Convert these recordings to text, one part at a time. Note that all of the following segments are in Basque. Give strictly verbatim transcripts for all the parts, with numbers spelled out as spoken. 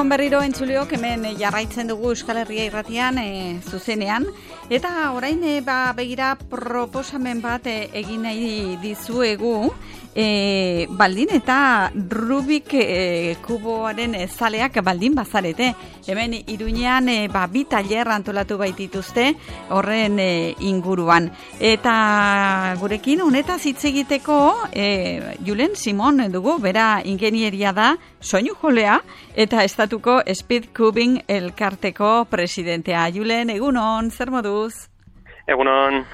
Egunon berriro entzuleok, hemen jarraitzen dugu Euskal Herria irratian e, zuzenean. Eta orain e, ba, begira proposamen bat e, egin nahi dizuegu. E, baldin eta Rubik e, kuboaren e, zaleak baldin bazarete. Hemen Iruñean e, ba, bi tailer antolatu baitituzte horren e, inguruan. Eta gurekin honetaz hitz egiteko e, Julen Simon dugu, bera ingenieria da, soinu jolea, eta estatuko Speed Cubing elkarteko presidentea. Julen, egunon, zer moduz? Egunon.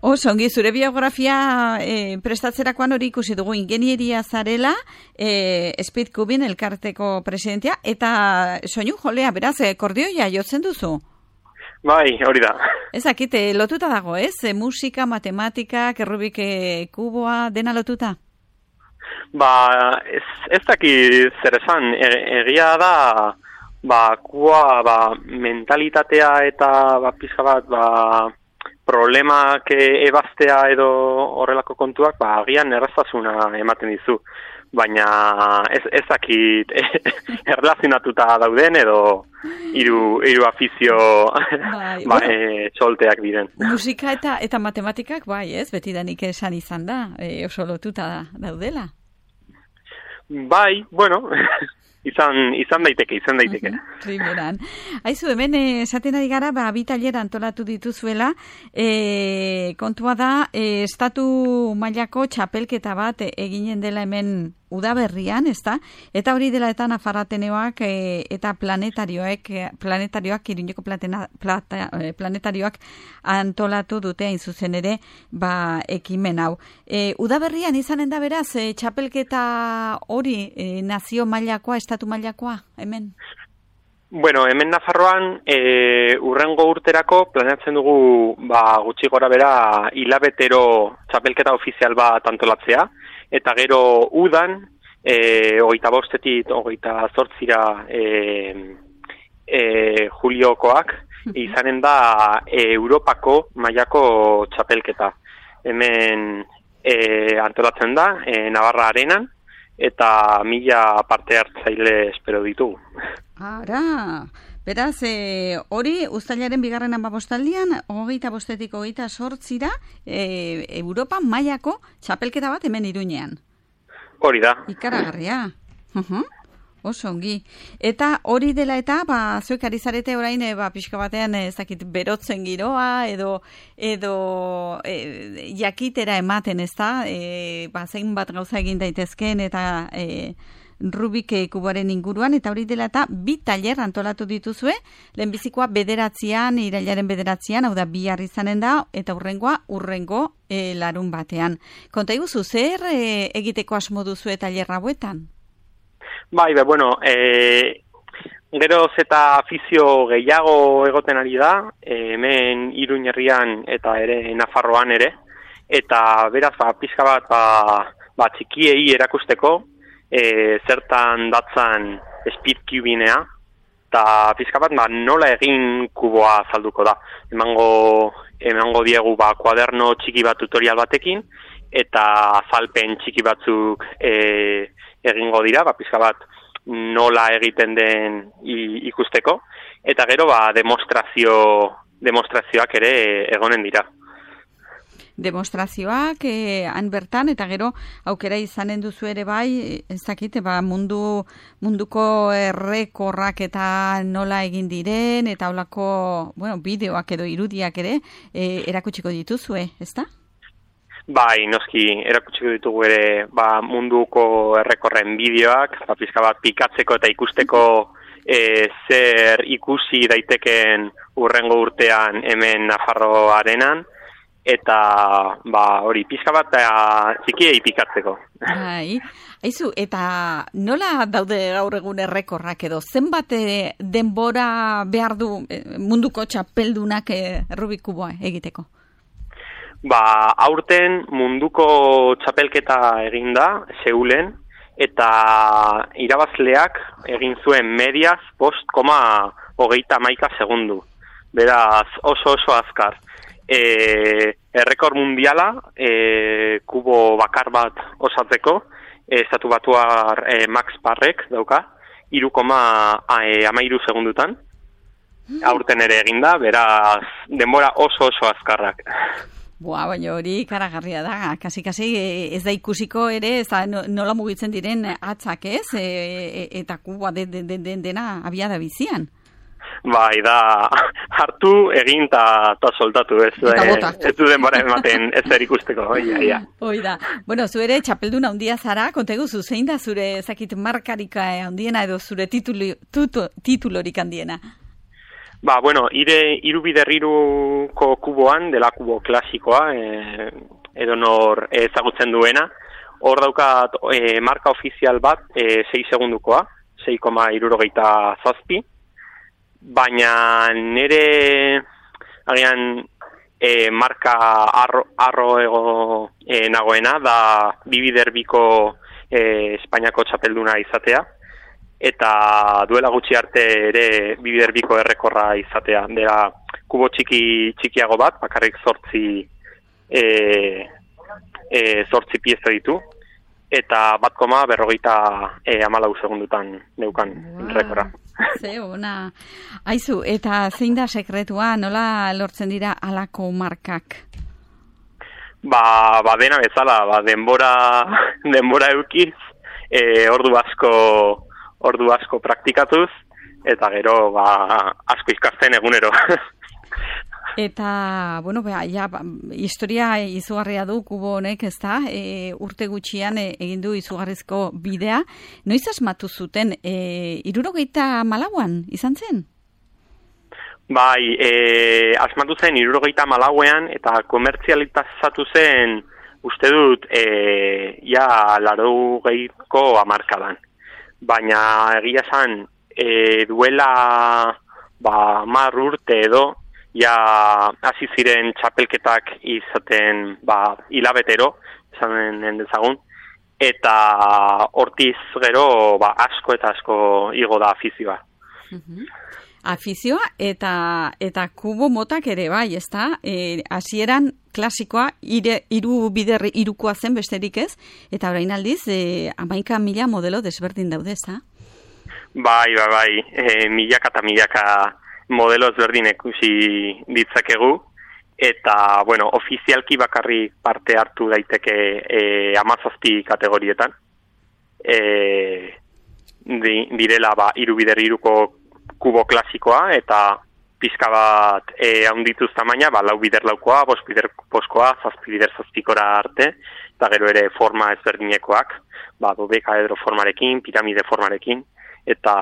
Oso, ongi, zure biografia e, prestatzerakoan hori ikusi dugu ingenieria zarela, e, Speed Cubing elkarteko presidentea, eta soinu jolea, beraz, e, kordioia jotzen duzu? Bai, hori da. Ezakite, lotuta dago, ez? E, musika, matematika, Rubik e, kuboa, dena lotuta? Ba, ez, ez daki zer esan, e, egia da, ba, kuboa, ba, mentalitatea eta, ba, pizka bat, ba, problemak ebaztea edo horrelako kontuak, ba, agian erraztasuna ematen dizu. Baina ez, ez dakit erlazionatuta dauden edo hiru hiru afizio bai, ba, bueno, e, txolteak diren. Musika eta eta matematikak, bai, ez? Betidanik esan izan da, e, oso lotuta da, daudela. Bai, bueno, izan izan daiteke, izan daiteke. Primeran. Aizu, hemen esaten ari gara, ba, bi tailer antolatu dituzuela, e, kontua da, e, estatu mailako txapelketa bat eginen dela hemen udaberrian, ezta? Eta hori dela eta Nafarrateneoak e, eta planetarioek, planetarioak, Iruñeko platena, plata, e, planetarioak antolatu dute hain zuzen ere, ba, ekimen hau. E, udaberrian izanen da beraz, e, txapelketa hori e, nazio mailakoa, estatu mailakoa, hemen? Bueno, hemen Nafarroan e, urrengo urterako planeatzen dugu ba, gutxi gora bera hilabetero txapelketa ofizial bat antolatzea, eta gero udan, e, hogeita bostetik, hogeita zortzira e, e, juliokoak, izanen da e, Europako mailako txapelketa. Hemen e, antolatzen da, e, Navarra Arenan, eta mila parte hartzaile espero ditugu. Ara, beraz, e, hori uztailaren bigarren hamabostaldian, hogeita bostetik hogeita sortzira, e, Europa mailako txapelketa bat hemen Iruñean. Hori da. Ikaragarria. Uh-huh. Oso ongi. Eta hori dela eta, ba, zuek ari zarete orain, e, ba, pixka batean, ez dakit, berotzen giroa, edo, edo e, jakitera ematen, ez da, e, ba, zein bat gauza egin daitezken, eta e, Rubik kuboaren inguruan, eta hori dela eta bi tailer antolatu dituzue, lehenbizikoa bederatzean, irailaren bederatzean, hau da bihar izanen da, eta urrengoa urrengo e, larun batean. Konta iguzu, zer e, egiteko asmo duzue tailer hauetan? Bai, be, bueno, e, geroz eta afizio gehiago egoten ari da, e, hemen Iruñ herrian eta ere Nafarroan ere, eta beraz, ba, pizka bat, ba, ba, txikiei erakusteko, e, zertan datzan Speed Cubinea, eta pizka bat, ba, nola egin kuboa azalduko da. Emango, emango diegu, ba, kuaderno txiki bat tutorial batekin, eta azalpen txiki batzuk e, egingo dira, ba, pizka bat nola egiten den ikusteko, eta gero ba, demostrazio, demostrazioak ere egonen dira. Demostrazioak eh, han bertan, eta gero aukera izanen duzu ere bai, ez dakit, ba, mundu, munduko errekorrak eta nola egin diren, eta holako, bueno, bideoak edo irudiak ere eh, erakutsiko dituzue, ezta? Bai, noski, erakutsiko ditugu ere ba, munduko errekorren bideoak, ba, pizka bat pikatzeko eta ikusteko e, zer ikusi daiteken urrengo urtean hemen Nafarro Arenan, eta ba, hori pizka bat txikiei pikatzeko. Bai, aizu, eta nola daude gaur egun errekorrak edo, zenbat denbora behar du munduko txapeldunak Rubik kuboa egiteko? Ba, aurten munduko txapelketa egin da, Seulen, eta irabazleak egin zuen mediaz bost koma hogeita hamaika segundu. Beraz, oso oso azkar. E, errekor mundiala, e, kubo bakar bat osatzeko, e, estatu batuar e, Max Parrek dauka, hiru koma hamairu segundutan. Aurten ere eginda, beraz denbora oso oso azkarrak. Boa, baina hori karagarria da, kasi-kasi ez da ikusiko ere, ez da nola mugitzen diren atzak ez, e, e, eta kuboa de, de, de, de, dena abiada bizian. Bai, da, hartu, egin eta soldatu ez. Eta bota. Ez du denbora ematen ez zer ikusteko, oia, ia. Hoi da. Bueno, zu ere txapelduna handia zara, konteguzu, zein da zure, zakit, markarika handiena edo zure titulu, tutu, titulorik handiena? Ba, bueno, ire irubiderriruko kuboan, dela kubo klasikoa, e, edo nor ezagutzen duena, hor daukat e, marka ofizial bat, e, sei segundukoa, sei koma hirurogeita zazpi, baina nire, agian, e, marka arro, arro ego e, nagoena, da bibiderbiko e, Espainiako txapelduna izatea, eta duela gutxi arte ere bibiderbiko errekorra izatea. Dela kubo txiki txikiago bat, bakarrik zortzi, e, e, zortzi pieza ditu, eta bat koma berrogeita e, amalau segundutan neukan wow. Rekorra. Ze, ona. Aizu, eta zein da sekretua, nola lortzen dira halako markak? Ba, ba dena bezala, ba, denbora, denbora eukiz, e, ordu asko ordu asko praktikatuz, eta gero ba, asko ikasten egunero. Eta, bueno, bea, ja, historia izugarria du kubo honek, ez da, e, urte gutxian e, egin du izugarrizko bidea. Noiz asmatu zuten, e, hirurogeita malauan izan zen? Bai, e, asmatu zen hirurogeita malauean, eta komertzializatu zen, uste dut, e, ja, laurogeiko hamarkadan. Baina egia esan e, duela ba, mar urte edo ja hasi ziren txapelketak izaten ba, hilabetero, esan dezagun, eta hortiz gero ba, asko eta asko igo da afizioa. Uh-huh. Afizioa eta eta kubo motak ere bai, ezta? Eh, hasieran klasikoa ire, iru bider irukoa zen besterik ez, eta orain aldiz eh, hamaika mila modelo desberdin daude, ezta? Bai, bai, bai, e, milaka eta milaka modelo ezberdin ikusi ditzakegu, eta, bueno, ofizialki bakarrik parte hartu daiteke e, hamazazpi kategorietan. E, di, direla, ba, iru bider iruko kubo klasikoa, eta pizka bat e, haundituz tamaina, ba, lau bider laukoa, bost bider boskoa, zazpi bider zazpikora arte, eta gero ere forma ezberdinekoak, ba, dodekaedro formarekin, piramide formarekin, eta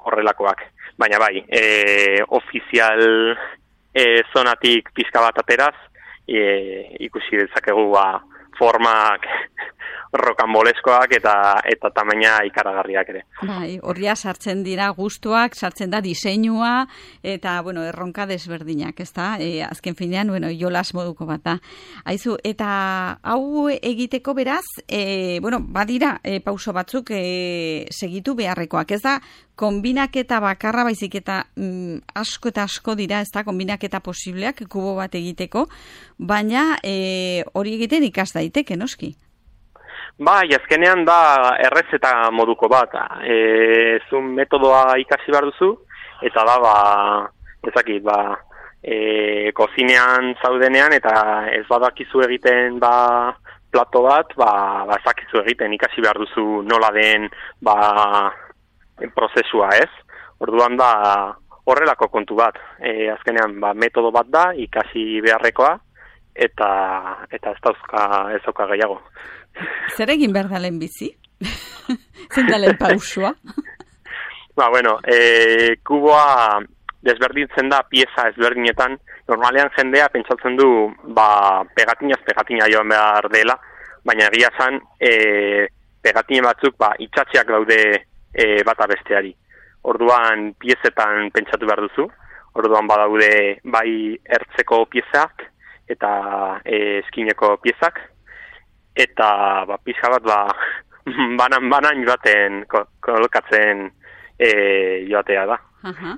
horrelakoak. Baina bai, e, ofizial e, zonatik pizka bat ateraz, e, ikusi dezakegu ba, formak rokanboleskoak eta eta tamaina ikaragarriak ere. Bai, horria sartzen dira gustuak, sartzen da diseinua eta bueno, erronka desberdinak, ezta? E, azken finean, bueno, jolas moduko bat da. Aizu, eta hau egiteko beraz, e, bueno, badira e, pauso batzuk e, segitu beharrekoak, ez da? Konbinaketa bakarra baizik eta mm, asko eta asko dira, ez da, konbinaketa posibleak kubo bat egiteko, baina e, hori egiten ikas daiteke, noski? Bai, azkenean da errezeta moduko bat. E, zun metodoa ikasi behar duzu, eta da, ba, ezakit, ba, e, kozinean zaudenean, eta ez badakizu egiten, ba, plato bat, ba, ba ezakizu egiten, ikasi behar duzu nola den, ba, prozesua, ez? Orduan da horrelako kontu bat. E, azkenean ba, metodo bat da, ikasi beharrekoa, eta eta ez dauzka ez dauka gehiago. Zer egin behar da lehen bizi? Zein da lehen pausua? Ba, bueno, e, kuboa desberdintzen da pieza ezberdinetan. Normalean jendea pentsatzen du ba, pegatinaz pegatina joan behar dela, baina egia zan e, pegatine batzuk ba, itxatxeak daude e, bata besteari. Orduan piezetan pentsatu behar duzu, orduan badaude bai ertzeko piezak eta e, eskineko piezak, eta ba, pizka bat ba, banan-banan joaten kolokatzen e, joatea da. Aha.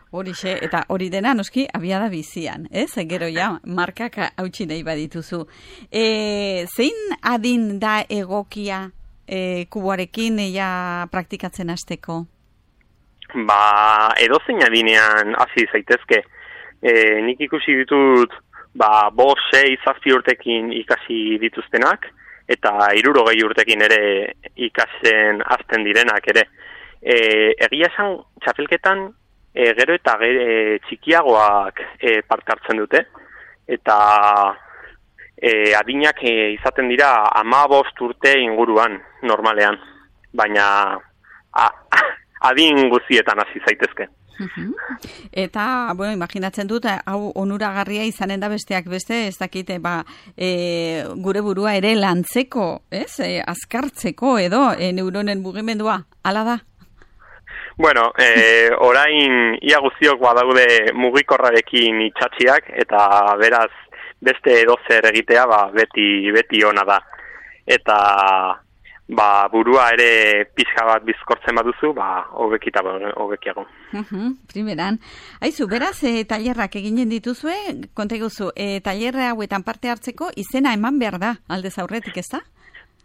Horixe, eta hori dena noski abiada bizian, ez? Gero ja, markak hautsi nahi badituzu. E, zein adin da egokia e, kuboarekin ja praktikatzen hasteko? ba, edozein adinean hasi zaitezke. E, nik ikusi ditut, ba, bost, sei, zazpi urtekin ikasi dituztenak, eta hirurogei urtekin ere ikasen hasten direnak ere. E, egia esan, txapelketan, e, gero eta e, txikiagoak e, parte hartzen dute, eta e, adinak e, izaten dira hamabost urte inguruan, normalean, baina a, adin guztietan hasi zaitezke. Uh-huh. Eta, bueno, imaginatzen dut, hau onuragarria izanen da besteak beste, ez dakite, ba, e, gure burua ere lantzeko, ez? E, azkartzeko edo, e, neuronen mugimendua, hala da? Bueno, e, orain ia guztiok badaude mugikorrarekin itxatxiak, eta beraz beste edozer egitea ba, beti, beti ona da. Eta ba, burua ere pixka bat bizkortzen baduzu, ba, hobekita hobekiago. Uh-huh, primeran. Aizu, beraz, e, tailerrak eginen dituzue, konta eguzu, e, tailerra hauetan parte hartzeko izena eman behar da, aldez aurretik, ez da?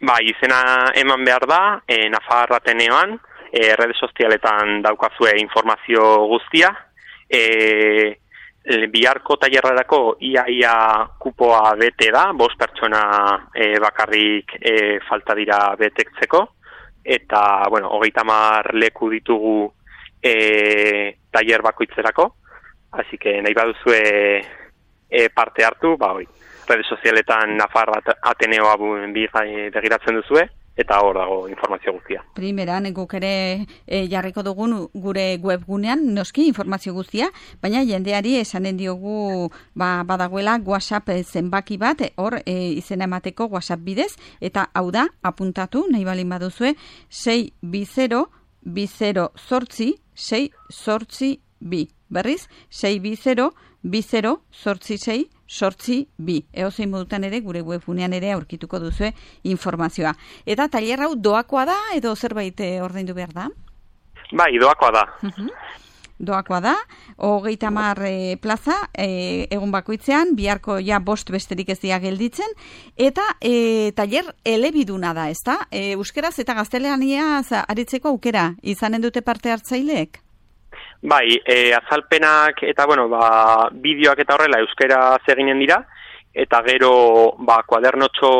Ba, izena eman behar da, e, Nafar Ateneoan, e, rede sozialetan daukazue informazio guztia, e, biharko tailerrarako ia-ia kupoa bete da, bost pertsona e, bakarrik e, falta dira betektzeko, eta, bueno, hogeita hamar leku ditugu e, tailer bakoitzerako, así que nahi baduzue e, parte hartu, ba, hoi, rede sozialetan Nafar Ateneoa begiratzen duzue, eta hor dago informazio guztia. Primeran, guk ere e, jarriko dugun gure webgunean, noski informazio guztia, baina jendeari esanen diogu ba, badagoela WhatsApp zenbaki bat, hor e, izena emateko WhatsApp bidez, eta hau da, apuntatu, nahi balin baduzue, sei bi zero, bi zero zortzi, sei zortzi bi. Berriz, sei bi zero, bi zero zortzi sei, sortzi bi. Eozein modutan ere, gure webgunean ere aurkituko duzue informazioa. Eta tailer hau doakoa da, edo zerbait ordaindu behar da? Bai, doakoa da. Uh-huh. Doakoa da, hogeita hamar e, plaza, e, egun bakoitzean, biharko ja bost besterik ez dira gelditzen, eta e, tailer elebiduna da, ezta? E, euskeraz eta gaztelaniaz aritzeko aukera, izanen dute parte hartzaileek? Bai, e, azalpenak eta, bueno, ba, bideoak eta horrela euskera eginen dira, eta gero, ba, kuadernotxo,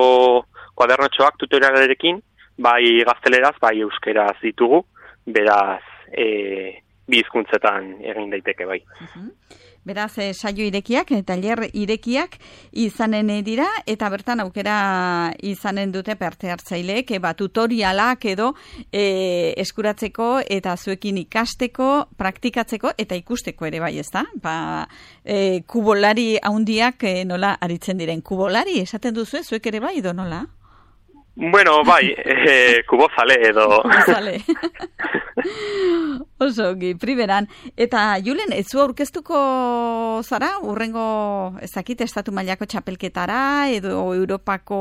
kuadernotxoak tutorialarekin, bai gazteleraz, bai euskeraz ditugu, beraz, e, bi hizkuntzetan egin daiteke, bai. Uh-huh. Beraz, e, saio irekiak, tailer irekiak izanen dira, eta bertan aukera izanen dute parte hartzaileek, e, ba, tutorialak edo e, eskuratzeko eta zuekin ikasteko, praktikatzeko eta ikusteko ere bai, ezta? Ba, e, kubolari haundiak e, nola aritzen diren. Kubolari, esaten duzu, zuek ere bai, edo nola? Bueno, bai, e, kubozale edo... Kubozale. Oso, gi, primeran. Eta, Julen, ez zu aurkeztuko zara, urrengo, ezakit, estatu mailako txapelketara, edo Europako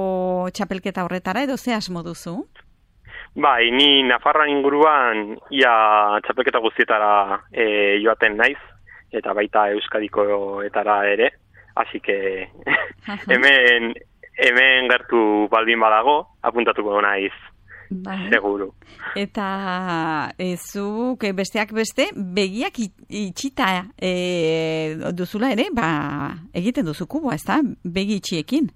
txapelketa horretara, edo ze asmo duzu? Bai, ni Nafarra inguruan ia txapelketa guztietara e, joaten naiz, eta baita Euskadikoetara ere, hasi que hemen... Hemen gertu baldin badago, apuntatuko naiz, bai. Seguru. Eta ezuk besteak beste, begiak itxita e, duzula ere, ba, egiten duzu kuboa, ez da? Begi itxiekin.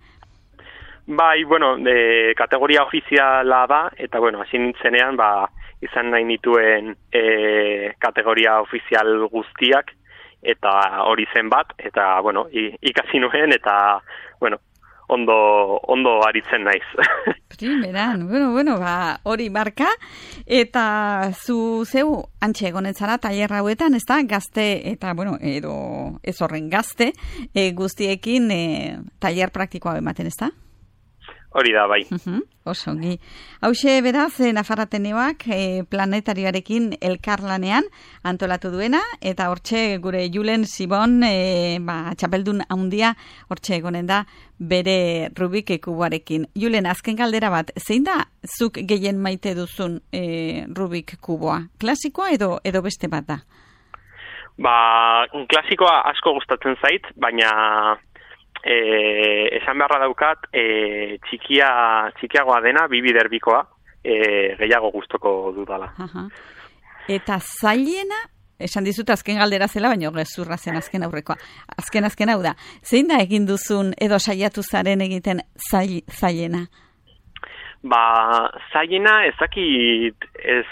Bai, bueno, de, kategoria ofiziala da, eta bueno, hasi nintzenean, ba, izan nahi nituen e, kategoria ofizial guztiak, eta hori zen bat, eta bueno, ikasi nuen, eta bueno, ondo, ondo aritzen naiz. Primeran, bueno, bueno, ba, hori marka, eta zu zeu antxe egonen zara tailer hauetan, ez da, gazte, eta, bueno, edo ez horren gazte, e, guztiekin e, tailer praktikoa ematen, ez da? Hori da, bai. Uh-huh. Oso, gi. Hauxe, beraz, e, Nafar Ateneoak e, planetarioarekin elkarlanean antolatu duena, eta hortxe gure Julen Sibon, e, ba, txapeldun handia, hortxe egonen da, bere Rubik kuboarekin. Julen, azken galdera bat, zein da zuk gehien maite duzun e, Rubik kuboa? Klasikoa edo edo beste bat da? Ba, klasikoa asko gustatzen zait, baina e, esan beharra daukat e, txikia, txikiagoa dena, bibiderbikoa, e, gehiago gustoko dudala. Aha. Eta zailena, esan dizut azken galdera zela, baina gezurra zen azken aurrekoa. Azken azken hau da, zein da egin duzun edo saiatu zaren egiten zail, zailena? Ba, zailena ezakit, ez,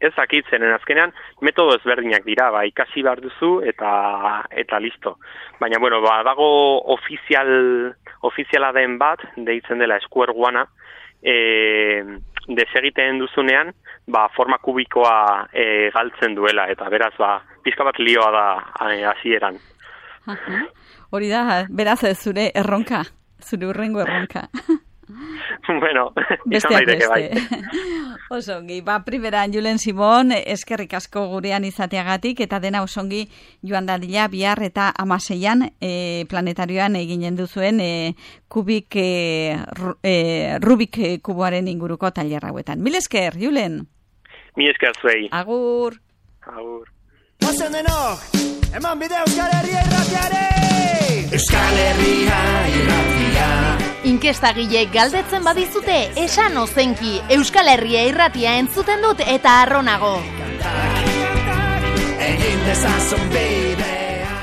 ezakit zenen azkenean, metodo ezberdinak dira, ba, ikasi behar duzu eta eta listo. Baina, bueno, ba, dago ofizial, ofiziala den bat, deitzen dela Square One-a, e, desegiten duzunean, ba, forma kubikoa e, galtzen duela, eta beraz, ba, pizka bat lioa da hasieran. Hori da, beraz, zure erronka, zure urrengo erronka. Bueno, izan daiteke bai. Osongi, ba, primeran Julen Simon, eskerrik asko gurean izateagatik, eta dena osongi joan dadila bihar eta amaseian e, planetarioan eginen duzuen e, kubik, e, e, Rubik kuboaren inguruko tailer hauetan. Mil esker, Julen? Mil esker zuei. Agur. Agur. Ozen denok, eman bide Euskal Herria irratiare! Euskal Herria irratia. Inkestagileek galdetzen badizute, esan ozenki, Euskal Herria irratia entzuten dut eta arronago. Egin dezazun bidea.